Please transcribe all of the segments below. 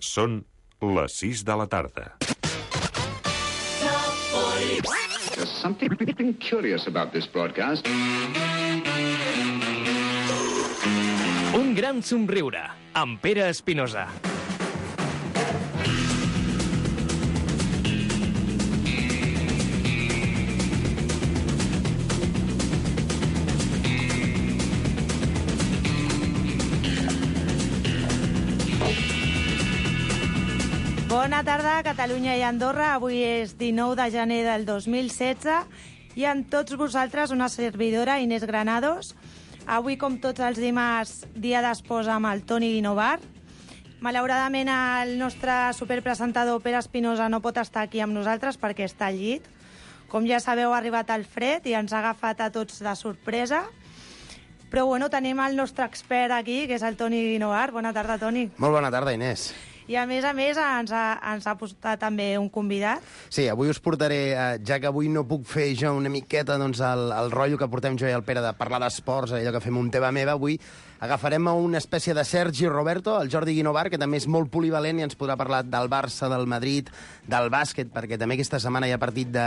Són les 6 de la tarda. There's something curious about this broadcast. Un gran somriure, amb Pere Espinosa. Bona tarda, Catalunya i Andorra. Avui és 19 de gener del 2016 i amb tots vosaltres una servidora, Inés Granados. Avui, com tots els dimarts, dia d'esports amb el Toni Guinovar. Malauradament, el nostre superpresentador Pere Espinosa no pot estar aquí amb nosaltres perquè està al llit. Com ja sabeu, ha arribat el fred i ens ha agafat a tots de sorpresa. Però bueno, tenim el nostre expert aquí, que és el Toni Guinovar. Bona tarda, Toni. Molt bona tarda, Inés. I a més ens ha portat també un convidat. Sí, avui us portaré, ja que avui no puc fer jo una miqueta doncs, el rotllo que portem jo i el Pere de parlar d'esports, allò que fem un teva meva, avui agafarem una espècie de Sergi Roberto, el Jordi Guinovar, que també és molt polivalent i ens podrà parlar del Barça, del Madrid, del bàsquet, perquè també aquesta setmana hi ha partit de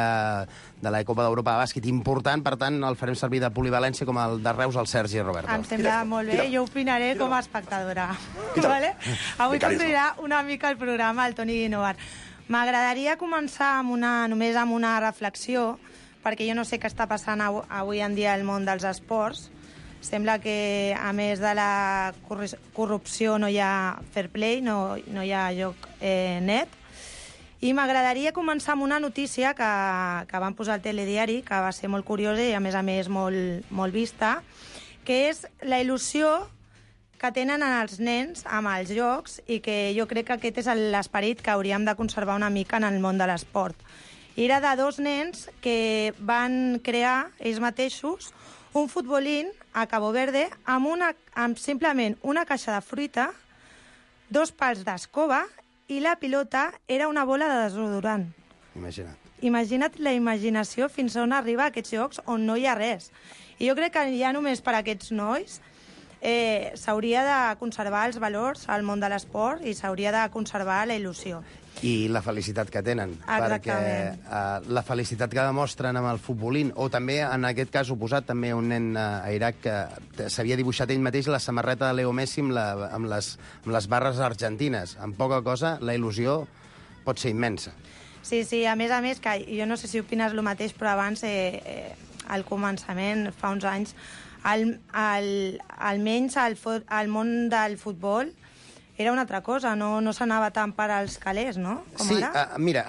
la Copa d'Europa de bàsquet important, per tant el farem servir de polivalència com el de Reus al Sergi Roberto. Em sembla molt bé, jo opinaré com a espectadora. Vale? Avui conduirà una mica el programa el Toni Guinovar. M'agradaria començar només amb una reflexió, perquè jo no sé què està passant avui en dia al món dels esports. Sembla que, a més de la corrupció, no hi ha fair play, no hi ha joc net. I m'agradaria començar amb una notícia que van posar al telediari, que va ser molt curiosa i, a més, molt vista, que és la il·lusió que tenen els nens amb els jocs i que jo crec que aquest és l'esperit que hauríem de conservar una mica en el món de l'esport. Era de dos nens que van crear ells mateixos un futbolín a Cabo Verde amb simplement una caixa de fruita, 2 pals d'escoba i la pilota era una bola de desodorant. Imagina't. Imagina't la imaginació fins on arriba aquests jocs on no hi ha res. I jo crec que ja només per a aquests nois s'hauria de conservar els valors al món de l'esport i s'hauria de conservar la il·lusió. I la felicitat que tenen. Exactament. Perquè la felicitat que demostren amb el futbolín, o també, en aquest cas oposat, també un nen a Iraq que s'havia dibuixat ell mateix la samarreta de Leo Messi amb les barres argentines. Amb poca cosa, la il·lusió pot ser immensa. Sí, a més, que jo no sé si opines el mateix, però abans, al començament, fa uns anys, almenys el món del futbol era una altra cosa, no s'anava tant per als calés, no? Com sí, ara? Mira,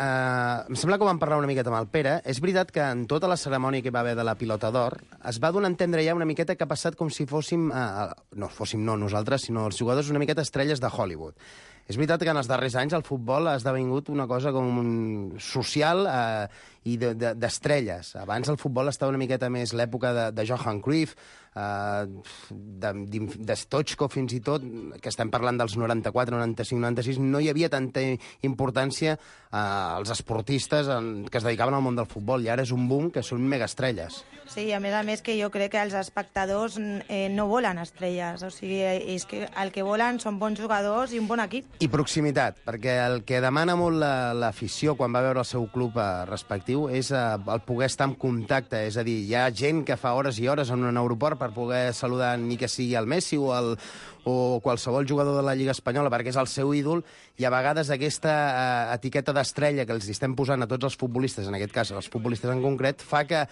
em sembla que vam parlar una miqueta amb el Pere. És veritat que en tota la cerimònia que hi va haver de la pilota d'or es va donar a entendre ja una miqueta que ha passat com si fóssim, no nosaltres, sinó els jugadors una miqueta estrelles de Hollywood. És veritat que en els darrers anys el futbol ha esdevingut una cosa com social i d'estrelles. Abans el futbol estava una miqueta més l'època de Johan Cruyff, de Stoichkov fins i tot, que estem parlant dels 94, 95, 96, no hi havia tanta importància als esportistes que es dedicaven al món del futbol, i ara és un boom que són megaestrelles. Sí, a més que jo crec que els espectadors no volen estrelles, o sigui, és que el que volen són bons jugadors i un bon equip. I proximitat, perquè el que demana molt l'afició quan va veure el seu club respectiu és el poder estar en contacte, és a dir, hi ha gent que fa hores i hores en un aeroport per poder saludar ni que sigui el Messi o qualsevol jugador de la Lliga Espanyola perquè és el seu ídol, i a vegades aquesta etiqueta d'estrella que els estem posant a tots els futbolistes, en aquest cas els futbolistes en concret, fa que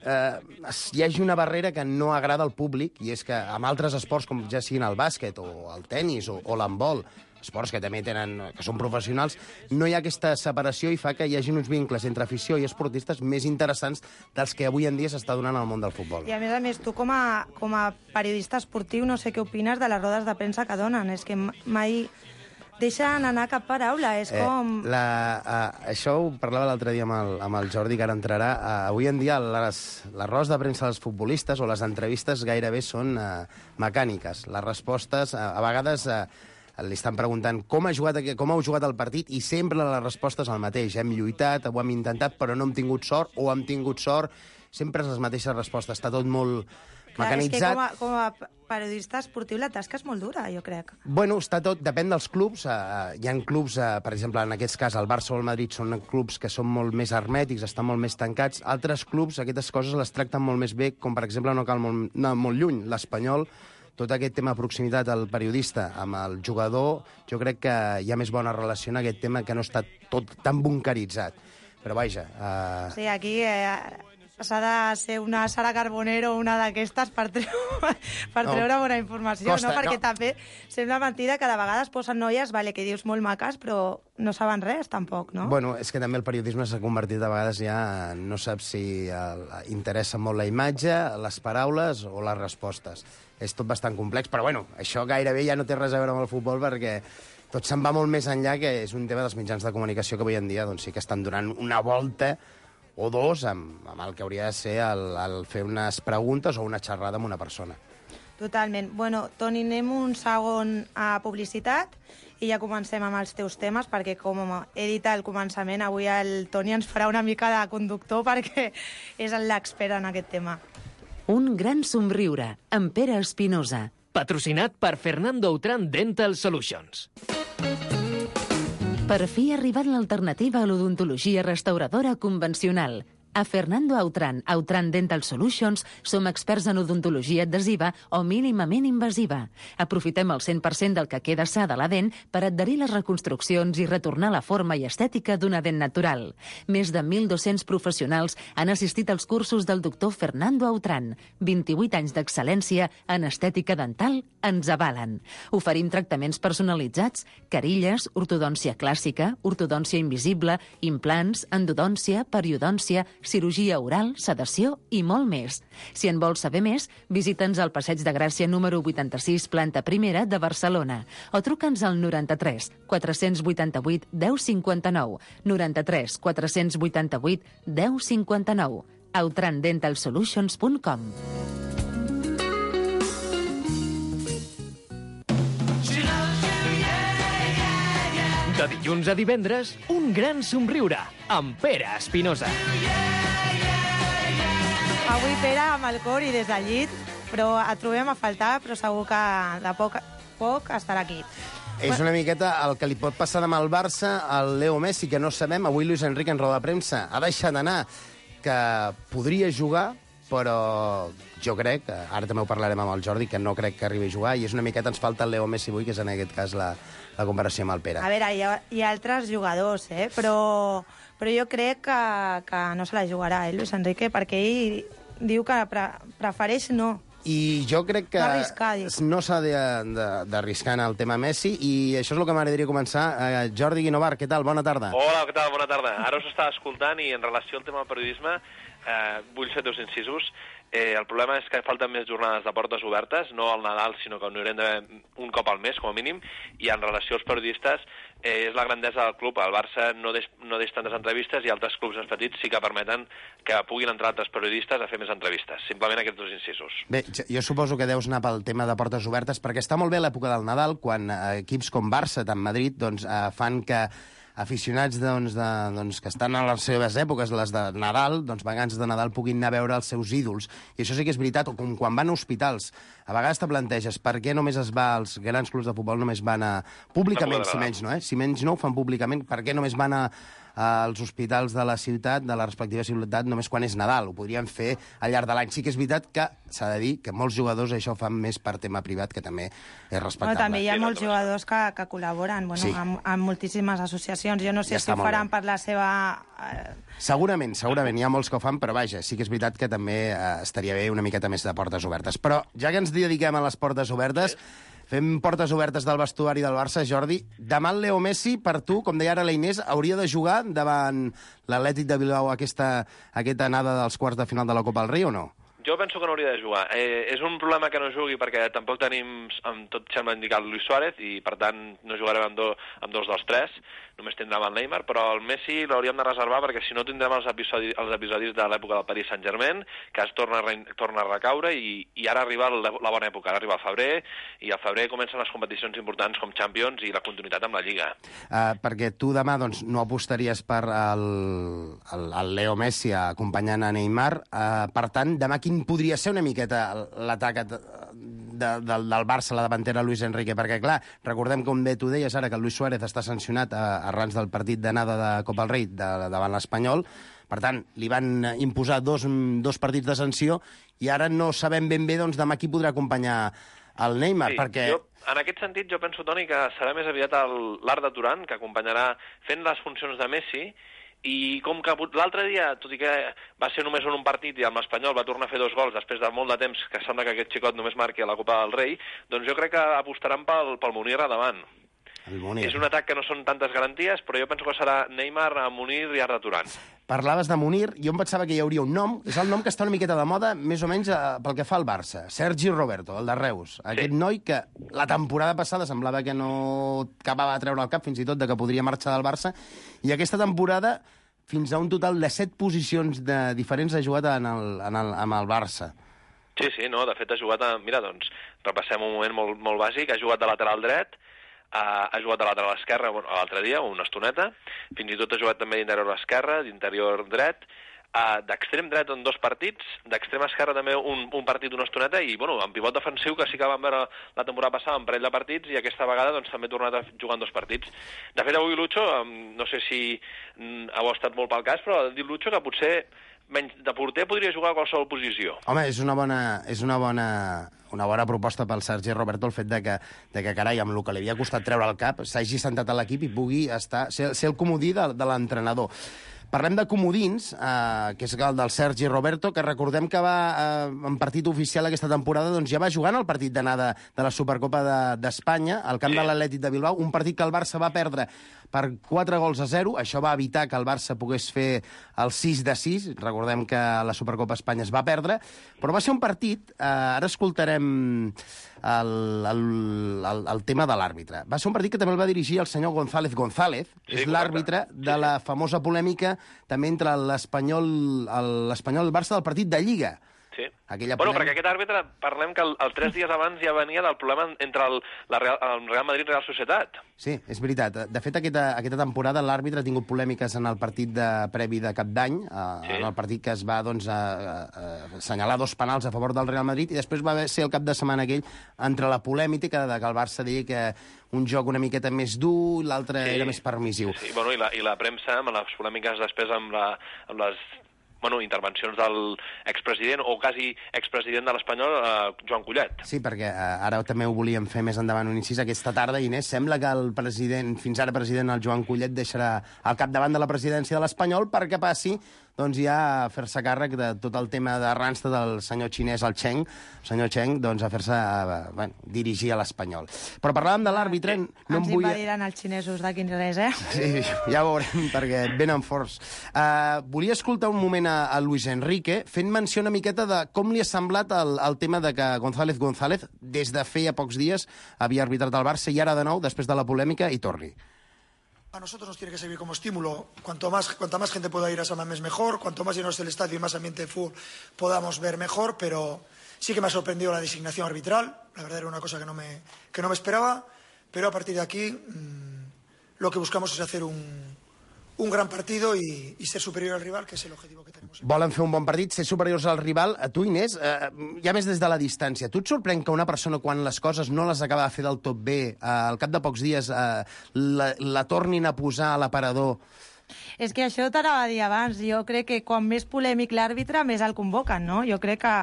hi hagi una barrera que no agrada al públic, i és que amb altres esports com ja siguin el bàsquet o el tennis o l'handbol, esports que també que són professionals, no hi ha aquesta separació i fa que hi hagi uns vincles entre afició i esportistes més interessants dels que avui en dia s'està donant al món del futbol. I a més, tu com a periodista esportiu no sé què opines de les rodes de premsa que donen, és que mai deixen anar cap paraula, és com... Això ho parlava l'altre dia amb el Jordi, que ara entrarà. Avui en dia les rodes de premsa dels futbolistes o les entrevistes gairebé són mecàniques. Les respostes, a vegades... li estan preguntant com heu jugat el partit, i sempre la resposta és el mateix. Hem lluitat, ho hem intentat, però no hem tingut sort, o hem tingut sort. Sempre és les mateixes respostes. Està tot molt mecanitzat. És que com a periodista esportiu la tasca és molt dura, jo crec. Bueno, està tot, depèn dels clubs. Hi ha clubs, per exemple, en aquest cas, el Barça o el Madrid són clubs que són molt més hermètics, estan molt més tancats. Altres clubs, aquestes coses les tracten molt més bé, com per exemple, no cal anar molt lluny. L'Espanyol, tot aquest tema de proximitat al periodista amb el jugador, jo crec que hi ha més bona relació en aquest tema que no està tot tan bunkeritzat. Però vaja... Sí, aquí s'ha de ser una Sara Carbonero o una d'aquestes per treure bona informació, Costa, no? Perquè no. també sembla mentida que de vegades posen noies, vale, que dius molt maques, però no saben res, tampoc, no? Bueno, és que també el periodisme s'ha convertit a vegades ja... No saps si interessa molt la imatge, les paraules o les respostes. És tot bastant complex, però bueno, això gairebé ja no té res a veure amb el futbol perquè tot se'n va molt més enllà, que és un tema dels mitjans de comunicació que avui en dia doncs, sí que estan donant una volta o dos amb el que hauria de ser el fer unes preguntes o una xerrada amb una persona. Totalment. Bueno, Toni, anem un segon a publicitat i ja comencem amb els teus temes, perquè com he dit al començament, avui el Toni ens farà una mica de conductor perquè és l'expert en aquest tema. Un gran somriure, amb Pere Espinosa. Patrocinat per Fernando Autran Dental Solutions. Per fi ha arribat l'alternativa a l'odontologia restauradora convencional. A Fernando Autran Dental Solutions som experts en odontologia adhesiva o mínimament invasiva. Aprofitem el 100% del que queda sa de la dent per adherir les reconstruccions i retornar la forma i estètica d'una dent natural. Més de 1.200 professionals han assistit als cursos del doctor Fernando Autran. 28 anys d'excel·lència en estètica dental ens avalen. Oferim tractaments personalitzats, carilles, ortodòncia clàssica, ortodòncia invisible, implants, endodòncia, periodòncia, cirurgia oral, sedació i molt més. Si en vols saber més, visita'ns al Passeig de Gràcia número 86, planta primera de Barcelona, o truca'ns al 93 488 1059, 93 488 1059, outrandentalsolutions.com. De dilluns a divendres, un gran somriure amb Pere Espinosa. Avui, Pere, amb el cor i des del llit, però et trobem a faltar, però segur que de poc estarà aquí. És una miqueta el que li pot passar demà al Barça, al Leo Messi, que no sabem. Avui Luis Enrique, en roda de premsa, ha deixat anar que podria jugar, però jo crec, ara també ho parlarem amb el Jordi, que no crec que arribi a jugar, i és una miqueta, ens falta el Leo Messi avui, que és en aquest cas la comparació amb el Pere. A veure, hi ha altres jugadors, però jo crec que no se la jugarà, Luis Enrique, perquè ell diu que prefereix no. I jo crec que no s'ha d'arriscar en el tema Messi, i això és el que m'agradaria començar. Jordi Guinovar, què tal? Bona tarda. Hola, què tal? Bona tarda. Ara us estava escoltant i en relació al tema del periodisme vull fer dos incisos. El problema és que falten més jornades de portes obertes, no al Nadal, sinó que n'haurem d'haver un cop al mes, com a mínim, i en relació als periodistes és la grandesa del club. El Barça no deix tantes entrevistes i altres clubs més petits sí que permeten que puguin entrar altres periodistes a fer més entrevistes. Simplement aquests dos incisos. Bé, jo suposo que deus anar pel tema de portes obertes, perquè està molt bé l'època del Nadal, quan equips com Barça, tant Madrid, doncs, fan que aficionats que estan a les seves èpoques, les de Nadal, doncs vacances de Nadal, puguin anar a veure els seus ídols. I això sí que és veritat, o com quan van a hospitals. A vegades te planteges per què només es va als grans clubs de futbol, només van a públicament, si menys no, si menys no ho fan públicament, per què només van als hospitals de la ciutat, de la respectiva ciutat, només quan és Nadal? Ho podrien fer al llarg de l'any. Sí que és veritat que s'ha de dir que molts jugadors això ho fan més per tema privat, que també és respectable. També hi ha molts jugadors que col·laboren amb moltíssimes associacions. Jo no sé si ho faran per la seva... Segurament, hi ha molts que ho fan, però vaja, sí que és veritat que també estaria bé una miqueta més de portes obertes. Però ja que ens dediquem a les portes obertes, fem portes obertes del vestuari del Barça, Jordi. Demà el Leo Messi, per tu, com deia ara la Inés, hauria de jugar davant l'Atlètic de Bilbao aquesta anada dels quarts de final de la Copa del Rei o no? Jo penso que no hauria de jugar. És un problema que no jugui perquè tampoc tenim, amb tot sembla indicat, Luis Suárez, i per tant no jugarem amb dos dels tres, només tindrem el Neymar, però el Messi l'hauríem de reservar perquè si no tindrem els episodis de l'època del Paris Saint-Germain, que es torna a recaure, i ara arriba la bona època, ara arriba el febrer, i al febrer comencen les competicions importants com Champions i la continuïtat amb la Lliga. Perquè tu demà no apostaries per el Leo Messi acompanyant a Neymar, per tant, demà quin quin podria ser una miqueta l'atac del Barça, la davantera Luis Enrique, perquè, clar, recordem, com bé tu deies ara, que el Luis Suárez està sancionat arran del partit d'anada de Copa del Rei davant l'Espanyol. Per tant, li van imposar dos partits de sanció i ara no sabem ben bé doncs, demà qui podrà acompanyar el Neymar, perquè... En aquest sentit, jo penso, Toni, que serà més aviat l'Arda Turan, que acompanyarà fent les funcions de Messi, i com que l'altre dia, tot i que va ser només en un partit i amb l'Espanyol va tornar a fer 2 gols després de molt de temps, que sembla que aquest xicot només marqui a la Copa del Rei, doncs jo crec que apostaran pel Munir a davant. És un atac que no són tantes garanties, però jo penso que serà Neymar, Munir i Arda Turan. Parlaves de Munir, jo em pensava que hi hauria un nom, és el nom que està una miqueta de moda, més o menys pel que fa al Barça, Sergi Roberto, el de Reus. Aquest noi que la temporada passada semblava que no acabava de treure el cap, fins i tot de que podria marxar del Barça, i aquesta temporada fins a un total de 7 posicions diferents ha jugat amb el Barça. Sí, no, de fet ha jugat Mira, doncs, repassem un moment molt bàsic, ha jugat de lateral dret, ha jugat de lateral esquerra l'altre dia, una estoneta, fins i tot ha jugat també d'interior esquerra, d'interior dret, d'extrem dret en 2 partits, d'extrem esquerra també un partit, una estoneta, i bueno, en pivot defensiu, que sí que vam veure la temporada passada un parell de partits, i aquesta vegada doncs, també ha tornat a jugar en 2 partits. De fet, avui Lucho, no sé si heu estat molt pel cas, però ha dit Lucho que potser menys de porter podria jugar a qualsevol posició. Home, és una bona proposta pel Sergi Roberto el fet de que carai, amb el que li havia costat treure el cap, s'hagi sentat a l'equip i pugui ser el comodí de l'entrenador. Parlem de comodins, que és el del Sergi Roberto, que recordem que va en partit oficial aquesta temporada, doncs ja va jugar en el partit d'anada de la Supercopa d'Espanya, al camp de l'Atlètic de Bilbao, un partit que el Barça va perdre per 4-0. Això va evitar que el Barça pogués fer el 6-6. Recordem que la Supercopa Espanya es va perdre, però va ser un partit, ara escoltarem el tema de l'àrbitre. Va ser un partit que també el va dirigir el senyor González. És l'àrbitre de la famosa polèmica també entre l'Espanyol i el Barça del partit de Lliga. Sí. Bueno, perquè aquest àrbitre, parlem que el 3 dies abans ja venia del problema entre el Real Madrid i Real Societat. Sí, és veritat. De fet, aquesta temporada l'àrbitre ha tingut polèmiques en el partit previ de Cap d'Any, en el partit que es va assenyalar 2 penals a favor del Real Madrid, i després va ser el cap de setmana aquell entre la polèmica que el Barça deia que un joc una miqueta més dur, l'altre era més permissiu. Sí, bueno, i la premsa, amb les polèmiques després amb les intervencions del expresident o quasi expresident de l'Espanyol, Joan Collet. Sí, perquè ara també ho volíem fer més endavant un incís. Aquesta tarda, Inés, sembla que el president, fins ara president, el Joan Collet, deixarà al capdavant de la presidència de l'Espanyol perquè passi doncs ja a fer-se càrrec de tot el tema de Randstad del senyor xinès, el senyor Cheng, doncs a fer-se dirigir a l'Espanyol. Però parlàvem de l'àrbitre... Ens invadiran els xinesos d'aquí res, Sí, ja ho veurem, perquè venen forts. Volia escoltar un moment a Luis Enrique fent menció una miqueta de com li ha semblat el tema de que González, des de feia pocs dies, havia arbitrat el Barça i ara de nou, després de la polèmica, hi torni. A nosotros nos tiene que servir como estímulo. Cuanta más gente pueda ir a San Mamés, mejor. Cuanto más lleno esté el estadio y más ambiente de fútbol podamos ver, mejor. Pero sí que me ha sorprendido la designación arbitral. La verdad era una cosa que no me esperaba. Pero a partir de aquí lo que buscamos es hacer un gran partido y ser superior al rival, que es el objetivo que tenemos. Volen fer un bon partit, ser superiors al rival. A tu, Inés, ja més des de la distància, tu et sorprèn que una persona, quan les coses no les acaba de fer del tot bé, al cap de pocs dies la tornin a posar a l'aparador? És que això t'anava a dir abans. Jo crec que quan més polèmic l'àrbitre, més el convoquen, no? Jo crec que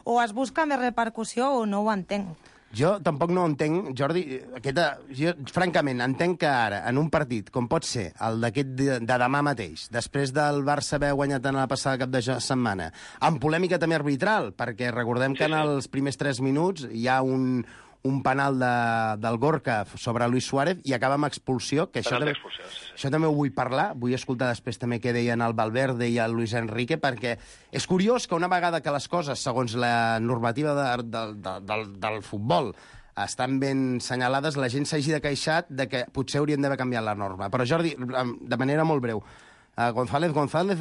o es busca més repercussió o no ho entenc. Jo tampoc no entenc, Jordi, jo francament entenc que ara, en un partit, com pot ser el d'aquest de demà mateix, després del Barça haver guanyat en la passada cap de setmana, amb polèmica també arbitral, perquè recordem que en els primers 3 minuts hi ha un penal del Gorka sobre Luis Suárez i acaba amb expulsió, que això també ho vull parlar, vull escoltar després també què deien el Valverde i el Luis Enrique, perquè és curiós que una vegada que les coses, segons la normativa del futbol, estan ben senyalades, la gent s'hagi de queixar de que potser haurien d'haver canviat la norma. Però Jordi, de manera molt breu, González,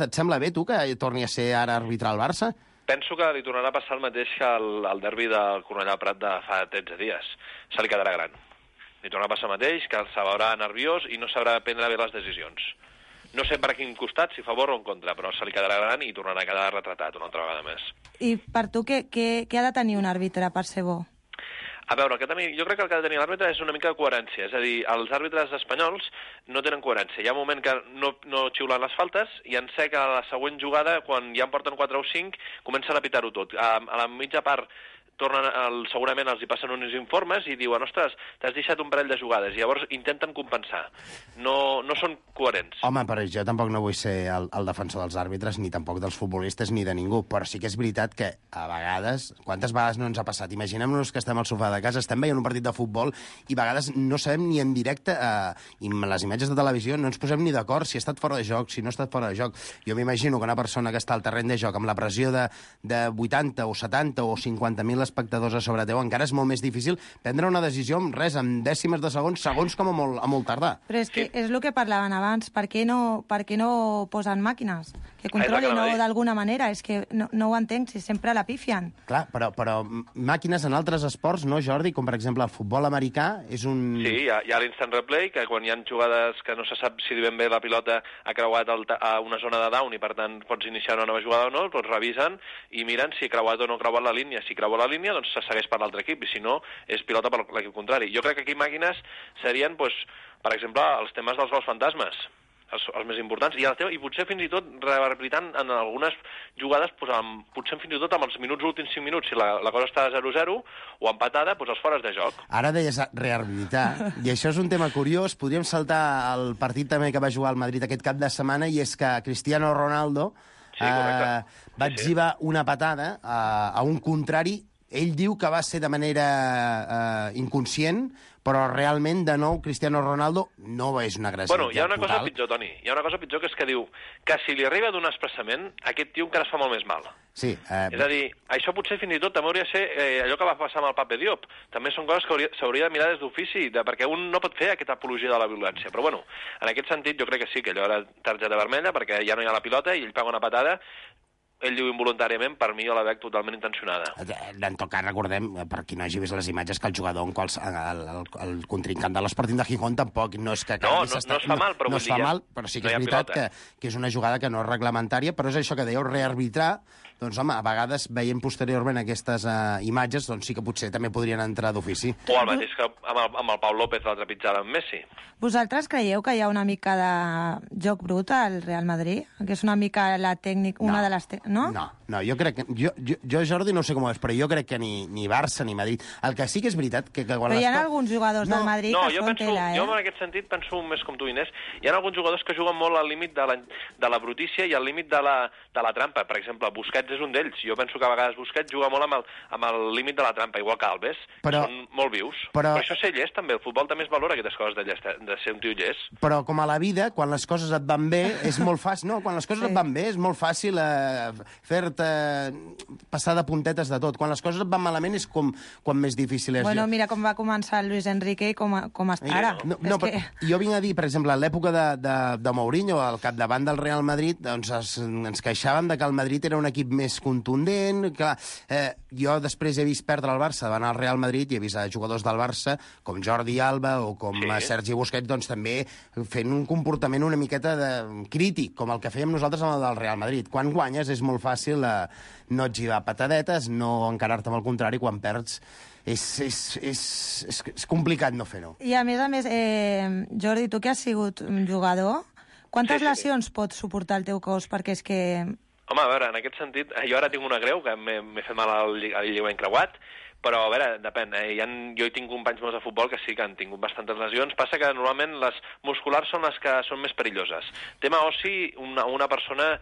et sembla bé tu que torni a ser ara arbitrar al Barça? Penso que li tornarà a passar el mateix que el derbi del Cornellà Prat de fa 13 dies. Se li quedarà gran. Li tornarà a passar el mateix, que se veurà nerviós i no sabrà prendre bé les decisions. No sé per quin costat, si a favor o en contra, però se li quedarà gran i tornarà a quedar retratat una altra vegada més. I per tu, què ha de tenir un àrbitre per ser bo? A veure, jo crec que el que ha de tenir l'àrbitre és una mica de coherència, és a dir, els àrbitres espanyols no tenen coherència. Hi ha un moment que no xiulen les faltes i en sé que a la següent jugada, quan ja en porten 4 o 5, comencen a pitar-ho tot. A la mitja part segurament els hi passen uns informes i diuen, ostres, t'has deixat un parell de jugades, i llavors intenten compensar. No són coherents. Home, però jo tampoc no vull ser el defensor dels àrbitres, ni tampoc dels futbolistes, ni de ningú, però sí que és veritat que a vegades, quantes vegades no ens ha passat? Imaginem-nos que estem al sofà de casa, estem veient un partit de futbol i a vegades no sabem ni en directe, i amb les imatges de televisió no ens posem ni d'acord si ha estat fora de joc, si no ha estat fora de joc. Jo m'imagino que una persona que està al terreny de joc amb la pressió de 80 o 70 o 50.000 espectadors a sobre teu, encara és molt més difícil prendre una decisió amb res, amb dècimes de segons com a molt tardar. Però és que és el que parlaven abans, per què no posen màquines que controlin d'alguna manera? És que no ho entenc, si sempre la pifien. Clar, però màquines en altres esports, no, Jordi? Com per exemple el futbol americà és un... Sí, hi ha l'instant replay, que quan hi ha jugades que no se sap si ben bé la pilota ha creuat a una zona de down i per tant pots iniciar una nova jugada o no, doncs revisen i miren si ha creuat o no ha creuat la línia. Si creua la línia, doncs se segueix per l'altre equip, i si no, és pilota per l'equip contrari. Jo crec que aquí màquines serien, doncs, per exemple, els temes dels gols fantasmes, els més importants, i potser fins i tot rehabilitant en algunes jugades, potser fins i tot amb els últims 5 minuts, si la cosa està 0-0 o empatada, doncs els fores de joc. Ara deies rehabilitar, i això és un tema curiós. Podríem saltar al partit també que va jugar al Madrid aquest cap de setmana, i és que Cristiano Ronaldo va etzibar una patada a un contrari. Ell diu que va ser de manera inconscient, però realment, de nou, Cristiano Ronaldo no és una agressivitat total. Hi ha una cosa pitjor, Toni. Hi ha una cosa pitjor, que és que diu que si li arriba d'un expressament, aquest tio encara es fa molt més mal. Sí. És a dir, això potser fins i tot també hauria de ser allò que va passar amb el Pape Diop. També són coses que s'hauria de mirar des d'ofici, perquè un no pot fer aquesta apologia de la violència. Però bueno, en aquest sentit jo crec que sí, que allò era targeta vermella, perquè ja no hi ha la pilota i ell paga una patada. Ell diu involuntàriament, per mi jo la veig totalment intencionada. En tot cas, recordem, per qui no hagi vist les imatges, que el jugador, el contrincant de l'Sporting de Gijón, tampoc no és que... No es fa mal, però no es fa mal, però sí que és veritat que és una jugada que no és reglamentària, però és això que dèieu, rearbitrar. Doncs, home, a vegades, veient posteriorment aquestes imatges, doncs sí que potser també podrien entrar d'ofici. O el mateix que amb el Pau López la trepitjada amb Messi. Vosaltres creieu que hi ha una mica de joc brut al Real Madrid? Que és una mica la tècnica, una de les... No, jo crec que... Jo, Jordi, no sé com ho és, però jo crec que ni Barça ni Madrid... El que sí que és veritat que quan... Però hi ha alguns jugadors del Madrid que són tela, Jo en aquest sentit penso més com tu, Inés. Hi ha alguns jugadors que juguen molt al límit de la brutícia i al límit de la trampa. Per exemple, Busquets és un d'ells. Jo penso que a vegades Busquets juga molt amb el límit de la trampa, igual que Alves. Són molt vius. Però això ser llest, també. El futbol també es valora aquestes coses de ser un tio llest. Però com a la vida, quan les coses et van bé, és molt fàcil... No, quan les coses et van bé és molt fàcil fer-te passar de puntetes de tot. Quan les coses et van malament és quan més difícil és. Bueno, mira com va començar Luis Enrique i com està ara. Jo vinc a dir, per exemple, a l'època de Mourinho, al capdavant del Real Madrid, doncs ens queixàvem de que el Madrid era un equip més contundent. Clar, jo després he vist perdre el Barça davant el Real Madrid i he vist jugadors del Barça, com Jordi Alba o com Sergi Busquets, doncs també fent un comportament una miqueta crític, com el que fèiem nosaltres amb el del Real Madrid. Quan guanyes és molt fàcil no etzibar patadetes, no encarar-te amb el contrari. Quan perds és complicat no fer-ho. I a més, Jordi, tu que has sigut jugador, quantes lesions pots suportar el teu cos? Perquè és que... Home, a veure, en aquest sentit, jo ara tinc una greu, que m'he fet mal al lligament creuat, però, a veure, depèn. Jo hi tinc companys meus de futbol que sí que han tingut bastantes lesions. Passa que normalment les musculars són les que són més perilloses. Tema ossi, una persona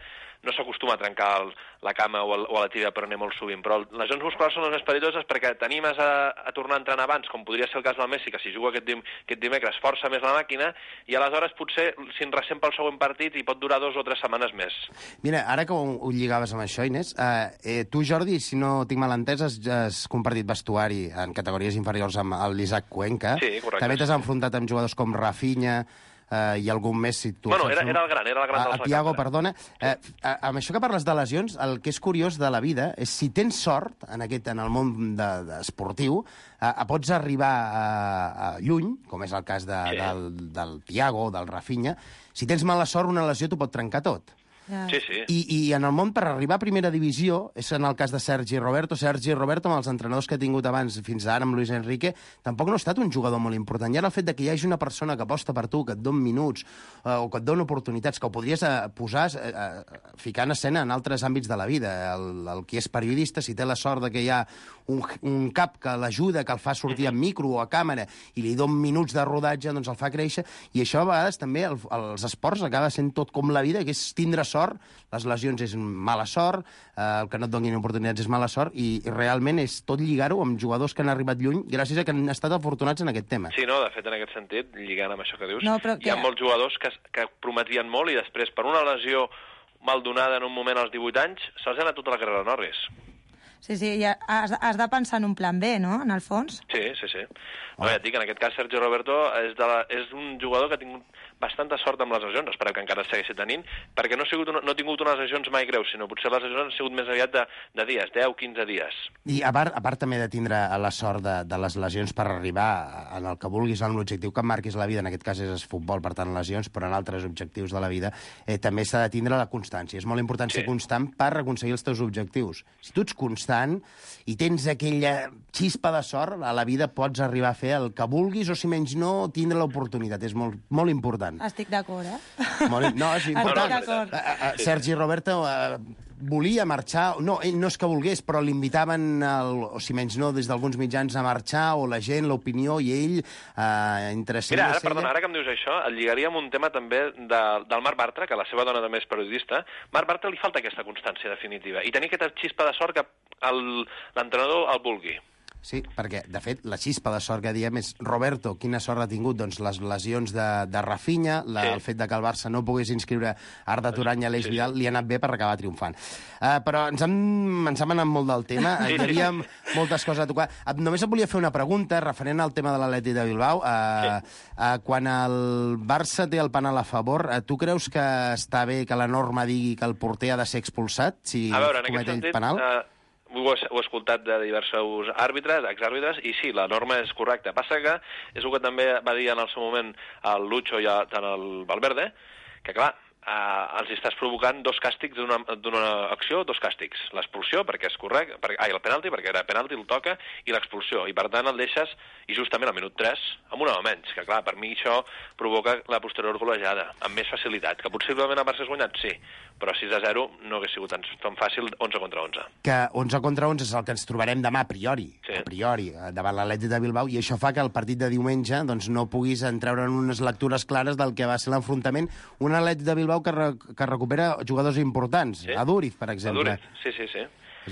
no s'acostuma a trencar la cama o la tibia per anar molt sovint, però les lesions musculars són les més perilloses perquè t'animes a tornar a entrenar abans, com podria ser el cas del Messi, que si juga aquest dimecres força més la màquina, i aleshores potser si en ressent pel següent partit i pot durar 2 o 3 setmanes més. Mira, ara que ho lligaves amb això, Inés, tu, Jordi, si no tinc mal entès, has compartit vestuari en categories inferiors amb l'Isaac Cuenca. Sí, correcte. També t'has enfrontat amb jugadors com Rafinha, i algun més, si tu... Bueno, era el gran dels Thiago, perdona. Amb això que parles de lesions, el que és curiós de la vida és si tens sort en el món esportiu, pots arribar lluny, com és el cas del Thiago o del Rafinha. Si tens mala sort, una lesió t'ho pot trencar tot. Sí, sí. I en el món, per arribar a primera divisió, és en el cas de Sergi Roberto. Sergi Roberto, amb els entrenadors que ha tingut abans, fins ara amb Luis Enrique, tampoc no ha estat un jugador molt important. I ara el fet que hi hagi una persona que aposta per tu, que et dona minuts, o que et dona oportunitats, que ho podries posar, ficar en escena en altres àmbits de la vida. El qui és periodista, si té la sort que hi ha un cap que l'ajuda, que el fa sortir en micro o a càmera, i li dona minuts de rodatge, doncs el fa créixer. I això, a vegades, també, als esports acaba sent tot com la vida, que és tindre sort. Les lesions és mala sort, el que no et donin oportunitats és mala sort, i realment és tot lligar-ho amb jugadors que han arribat lluny gràcies a que han estat afortunats en aquest tema. Sí, no, de fet, en aquest sentit, lligant amb això que dius, no, hi ha molts jugadors que prometien molt i després, per una lesió mal donada en un moment als 18 anys, se'ls ha anat tota la carrera a Norris. Sí, ja has de pensar en un plan B, no?, en el fons. Sí. No, ja et dic, en aquest cas, Sergio Roberto és un jugador que ha tingut bastanta sort amb les lesions, esperem que encara segueixi tenint, perquè no ha tingut unes lesions mai greus, sinó potser les lesions han sigut més aviat de dies, 10-15 dies. I a part també de tindre la sort de les lesions per arribar en el que vulguis, en l'objectiu que marquis la vida, en aquest cas és futbol, per tant lesions, però en altres objectius de la vida, també s'ha de tindre la constància. És molt important ser constant per aconseguir els teus objectius. Si tu ets constant i tens aquella xispa de sort, a la vida pots arribar a fer el que vulguis o, si menys no, tindre l'oportunitat. És molt, molt important. Estic d'acord, No, és important. Sergi Roberto volia marxar, no, ell no és que volgués, però l'invitaven, o si menys no, des d'alguns mitjans a marxar, o la gent, l'opinió, i ell entre... Mira, ara que em dius això, el lligaria amb un tema també del Marc Bartra, que la seva dona també és periodista. Marc Bartra li falta aquesta constància definitiva, i tenir aquesta xispa de sort que l'entrenador el vulgui. Sí, perquè, de fet, la xispa de sort que diem és Roberto, quina sort ha tingut? Doncs les lesions de Rafinha, el fet de que el Barça no pogués inscriure Arda Turany i Aleix Vidal, li ha anat bé per acabar triomfant. Però ens hem anat molt del tema, hi havia moltes coses a tocar. Només et volia fer una pregunta referent al tema de l'Atlètic de Bilbao. Quan el Barça té el penal a favor, tu creus que està bé que la norma digui que el porter ha de ser expulsat si comet ell penal? Ho he escoltat de diversos àrbitres, exàrbitres, i sí, la norma és correcta. Passa que és el que també va dir en el seu moment el Lucho i tant el Valverde, que clar, els estàs provocant dos càstigs d'una acció, dos càstigs. L'expulsió, perquè és correcte, el penalti, perquè era penalti, el toca, i l'expulsió. I per tant el deixes, i justament al minut 3, amb un home menys, que clar, per mi això provoca la posterior golejada, amb més facilitat. Que possiblement el Barça has guanyat, sí, però 6-0 no hauria sigut tan fàcil 11 contra 11. Que 11 contra 11 és el que ens trobarem demà a priori, davant l'Atlètic de Bilbao, i això fa que el partit de diumenge doncs, no puguis entreure en unes lectures clares del que va ser l'enfrontament. Un Atlètic de Bilbao que recupera jugadors importants, Aduriz, per exemple. Aduriz, sí.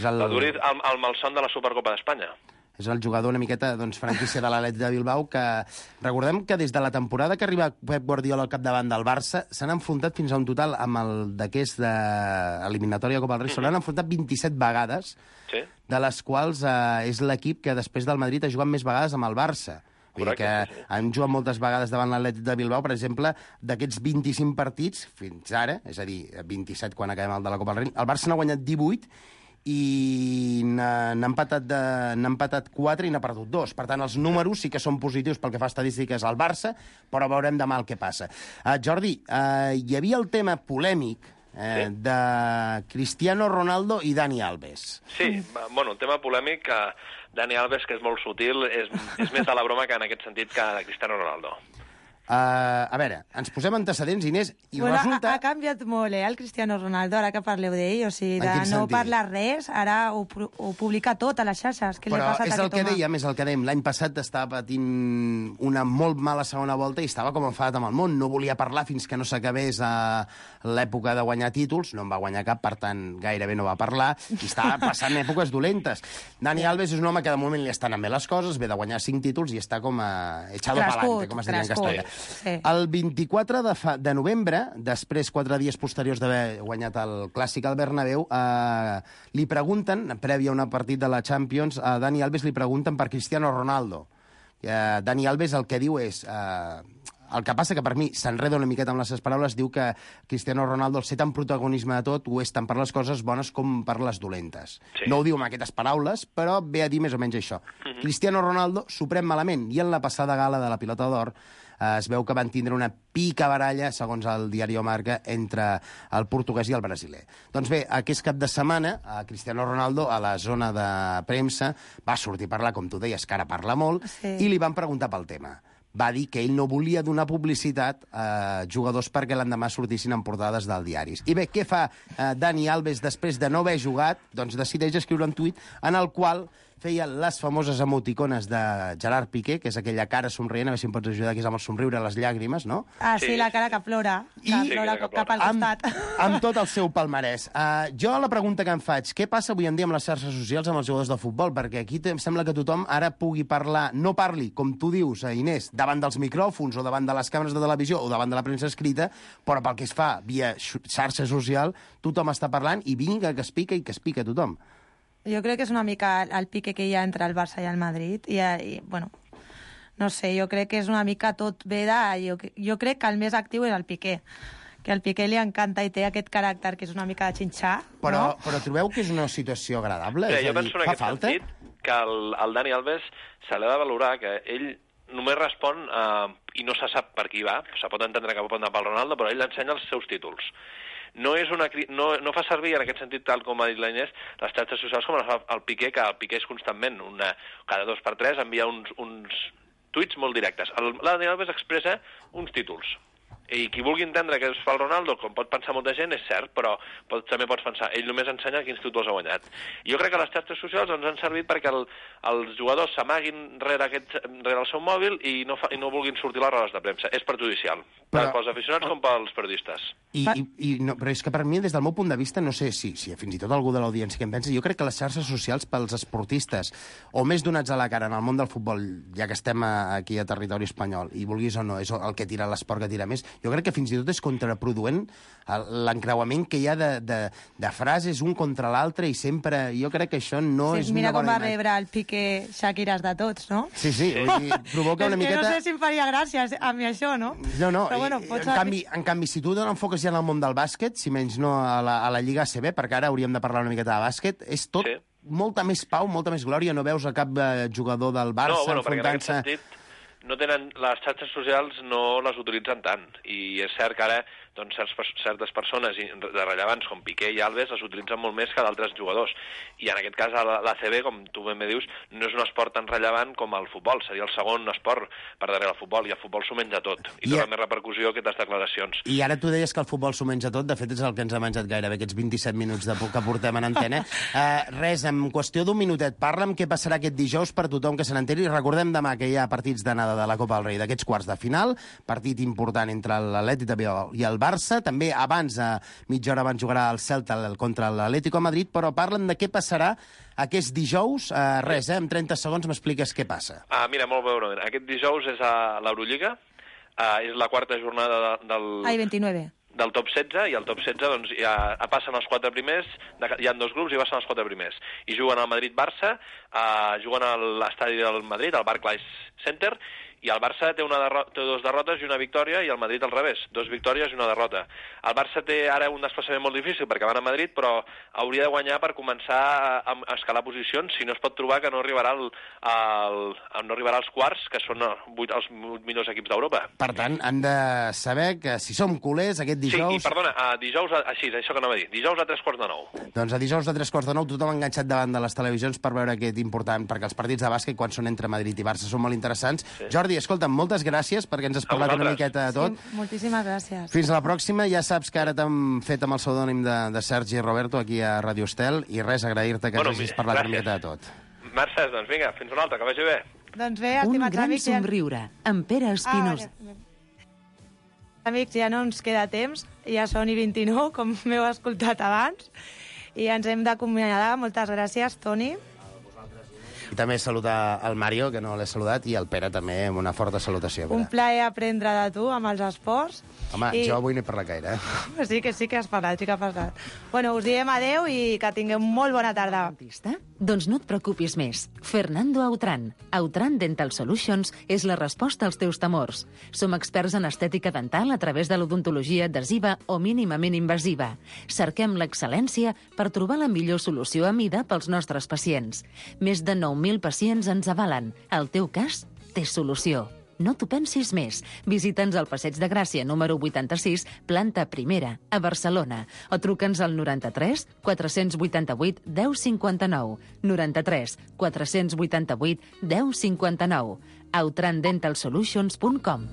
Aduriz, el malson de la Supercopa d'Espanya. És el jugador una miqueta franquícia de l'Atlètic de Bilbao, que recordem que des de la temporada que arriba Pep Guardiola al capdavant del Barça s'han enfrontat fins a un total amb el d'aquest eliminatòria Copa del Rei, s'han enfrontat 27 vegades, de les quals és l'equip que després del Madrid ha jugat més vegades amb el Barça. Vull dir que han jugat moltes vegades davant l'Atlètic de Bilbao, per exemple, d'aquests 25 partits fins ara, és a dir, 27 quan acabem el de la Copa del Rei, el Barça n'ha guanyat 18 i n'ha empatat 4 i n'ha perdut 2. Per tant, els números sí que són positius pel que fa a estadístiques al Barça, però veurem demà el que passa. Jordi, hi havia el tema polèmic de Cristiano Ronaldo i Dani Alves. Sí, bueno, un tema polèmic que Dani Alves, que és molt sutil, és més de la broma que en aquest sentit que de Cristiano Ronaldo. A veure, ens posem antecedents, Inés, i resulta... Ha canviat molt, el Cristiano Ronaldo, ara que parleu d'ell, o sigui, de no parlar res, ara ho publica tot a les xarxes. Què li ha passat a aquest home? És el que dèiem, l'any passat estava patint una molt mala segona volta i estava com enfadat amb el món, no volia parlar fins que no s'acabés l'època de guanyar títols, no en va guanyar cap, per tant, gairebé no va parlar, i estava passant èpoques dolentes. Dani Alves és un home que de moment li estan anant bé les coses, ve de guanyar 5 títols i està com echado pa'lante, com es diria en castellà. Sí. El 24 de novembre, després 4 dies posteriors d'haver guanyat el Clàssic al Bernabéu, li pregunten, prèvia a un partit de la Champions, a Dani Alves li pregunten per Cristiano Ronaldo. Dani Alves el que diu és El que passa que per mi s'enreda una miqueta amb les seves paraules, diu que Cristiano Ronaldo, al ser tan protagonisme de tot, ho és tant per les coses bones com per les dolentes. Sí. No ho diu amb aquestes paraules, però ve a dir més o menys això. Cristiano Ronaldo s'ho pren malament, i en la passada gala de la Pilota d'Or es veu que van tindre una picabaralla, segons el diari Marca, entre el portuguès i el brasiler. Doncs bé, aquest cap de setmana, Cristiano Ronaldo, a la zona de premsa, va sortir a parlar, com tu deies, que ara parla molt, i li van preguntar pel tema. Va dir que ell no volia donar publicitat a jugadors perquè l'endemà sortissin en portades dels diaris. I bé, què fa Dani Alves després de no haver jugat? Doncs decideix escriure un tuit en el qual feia les famoses emoticones de Gerard Piqué, que és aquella cara somrient, a veure si em pots ajudar, que és amb el somriure a les llàgrimes, no? Ah, sí, la cara que plora, cap al costat. Amb tot el seu palmarès. Jo la pregunta que em faig, què passa avui en dia amb les xarxes socials amb els jugadors de futbol? Perquè aquí em sembla que tothom ara pugui parlar, no parli, com tu dius, Inés, davant dels micròfons o davant de les càmeres de televisió o davant de la premsa escrita, però pel que es fa via xarxa social, tothom està parlant i vinga, que es pica tothom. Jo crec que és una mica el pique que hi ha entre el Barça i el Madrid. I bueno, no sé, jo crec que és una mica tot ve de... Jo crec que el més actiu és el Piqué, que al Piqué li encanta i té aquest caràcter que és una mica de xinxar. Però trobeu que és una situació agradable? Jo penso en aquest sentit que el Dani Alves se l'ha de valorar, que ell només respon i no se sap per qui va, se pot entendre que pot anar pel Ronaldo, però ell ensenya els seus títols. No fa servir, en aquest sentit, tal com ha dit la Inés, les xarxes socials com el Piqué, que el Piqué és constantment, cada 2 per 3, envia uns tuits molt directes. El Dani Alves expressa uns títols. I qui vulgui entendre que és pel Ronaldo, com pot pensar molta gent, és cert, però també pots pensar, ell només ensenya quins títols ha guanyat. Jo crec que les xarxes socials ens han servit perquè els jugadors s'amaguin rere el seu mòbil i no vulguin sortir a les rodes de premsa. És perjudicial, tant pels aficionats com pels periodistes. Però és que per mi, des del meu punt de vista, no sé si fins i tot algú de l'audiència que em pensa, jo crec que les xarxes socials pels esportistes, o més donats a la cara en el món del futbol, ja que estem aquí a territori espanyol, i vulguis o no, és el que tira l'esport que tira més, jo crec que fins i tot és contraproduent l'encreuament que hi ha de frases un contra l'altre i sempre... Jo crec que això no és una bona imatge. Mira com va rebre el Piqué Shakires de tots, no? Sí, provoca una miqueta... No sé si em faria gràcia a mi això, no? No, però bueno, en canvi, si tu t'enfoques ja en el món del bàsquet, si menys no a la Lliga ACB, perquè ara hauríem de parlar una miqueta de bàsquet, és tot molta més pau, molta més glòria, no veus a cap jugador del Barça enfrontant-se... Les xarxes socials no les utilitzen tant, i és cert que ara certes persones de rellevants com Piqué i Alves les utilitzen molt més que d'altres jugadors, i en aquest cas l'ACB, com tu ben bé dius, no és un esport tan rellevant com el futbol, seria el segon esport per darrere del futbol, i el futbol s'ho menja tot, i dona més repercussió aquestes declaracions. I ara tu deies que el futbol s'ho menja tot, de fet és el que ens ha menjat gairebé aquests 27 minuts que portem en antena. Res, en qüestió d'un minutet, parla'm què passarà aquest dijous per tothom que se n'enteri, i recordem demà que hi ha partits d'anada de la Copa del Rei, d'aquests quarts de final, partit important entre l'Atlètic de Bilbao i el Barça, també abans, mitja hora abans, jugarà el Celta contra l'Atlético de Madrid, però parlen de què passarà aquest dijous. Res, en 30 segons m'expliques què passa. Mira, molt breument. Aquest dijous és a l'Eurolliga, és la quarta jornada del 29. Del top 16, i el top 16 doncs, ja passen els 4 primers, hi ha 2 grups i passen els 4 primers. I juguen al Madrid-Barça, juguen a l'estadi del Madrid, al Barclays Center, i el Barça té 2 derrotes i una victòria, i el Madrid al revés, 2 victòries i una derrota. El Barça té ara un desplaçament molt difícil perquè van a Madrid, però hauria de guanyar per començar a escalar posicions, si no es pot trobar que no arribarà als quarts, que són els millors equips d'Europa. Per tant, han de saber que si som culers aquest dijous... Sí, i perdona, dijous, això que anava a dir, dijous a 9:15. Doncs a dijous a 9:15 tothom enganxat davant de les televisions per veure aquest important, perquè els partits de bàsquet, quan són entre Madrid i Barça, són molt interessants. Sí. Jordi, escolta'm, moltes gràcies perquè ens has parlat una miqueta de tot. Sí, moltíssimes gràcies. Fins a la pròxima. Ja saps que ara t'hem fet amb el pseudònim de Sergi Roberto aquí a Radio Estel, i res, agrair-te que ens hagis parlat una miqueta de tot. Mercè, doncs vinga, fins una altra, que vagi bé. Doncs bé, Un estimats gran amics... somriure, amb Pere Espinosa. Amics, ja no ens queda temps, ja són i 29, com m'heu escoltat abans, i ens hem d'acomiadar. Moltes gràcies, Toni. I també saludar el Mario, que no l'he saludat, i el Pere també, amb una forta salutació. Un plaer aprendre de tu amb els esports. Home, jo avui no he parlat gaire, Sí que has parlat, sí que has parlat. Bueno, us diem adeu i que tingueu molt bona tarda. Doncs no et preocupis més. Fernando Autran. Autran Dental Solutions és la resposta als teus temors. Som experts en estètica dental a través de l'odontologia adhesiva o mínimament invasiva. Cerquem l'excel·lència per trobar la millor solució a mida pels nostres pacients. Més de 9.000 pacients ens avalen. El teu cas té solució. No t'ho pensis més. Visita'ns al Passeig de Gràcia, número 86, planta primera, a Barcelona. O truca'ns al 93 488 1059. 93 488 1059. autrandentalsolutions.com